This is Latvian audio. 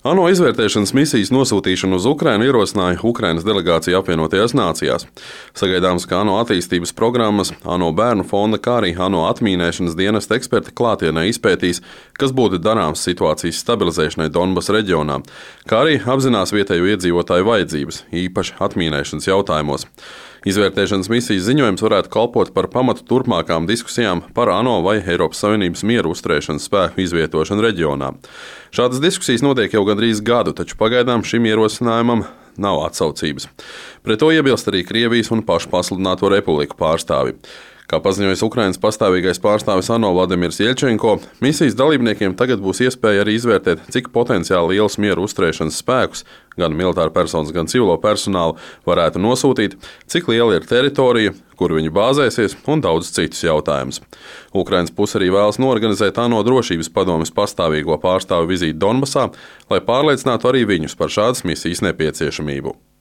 ANO izvērtēšanas misijas nosūtīšanu uz Ukrainu ierosināja Ukrainas delegācija apvienotajās nācijās. Sagaidāms, ka ANO attīstības programmas, ANO bērnu fonda, kā arī ANO atmīnēšanas dienesta eksperti klātienē izpētīs, kas būtu darāms situācijas stabilizēšanai Donbasa reģionā, kā arī apzinās vietējo iedzīvotāju vajadzības, īpaši atmīnēšanas jautājumos. Izvērtēšanas misijas ziņojums varētu kalpot par pamatu turpmākām diskusijām par ANO vai Eiropas Savienības mieru uzturēšanas spēku izvietošanu reģionā. Šādas diskusijas notiek jau gandrīz gadu, taču pagaidām šim ierosinājumam nav atsaucības. Pret to iebilst arī Krievijas un pašpasludināto republiku pārstāvi. Kā paziņojis Ukrainas pastāvīgais pārstāvis ANO Vladimirs Jeļčenko, misijas dalībniekiem tagad būs iespēja arī izvērtēt, cik potenciāli liels mieru uzturēšanas spēkus, gan militāru personas, gan civilo personālu, varētu nosūtīt, cik liela ir teritorija, kur viņi bāzēsies un daudz citus jautājumus. Ukrainas puse arī vēlas norganizēt ANO drošības padomes pastāvīgo pārstāvu vizīti Donbasā, lai pārliecinātu arī viņus par šādas misijas nepieciešamību.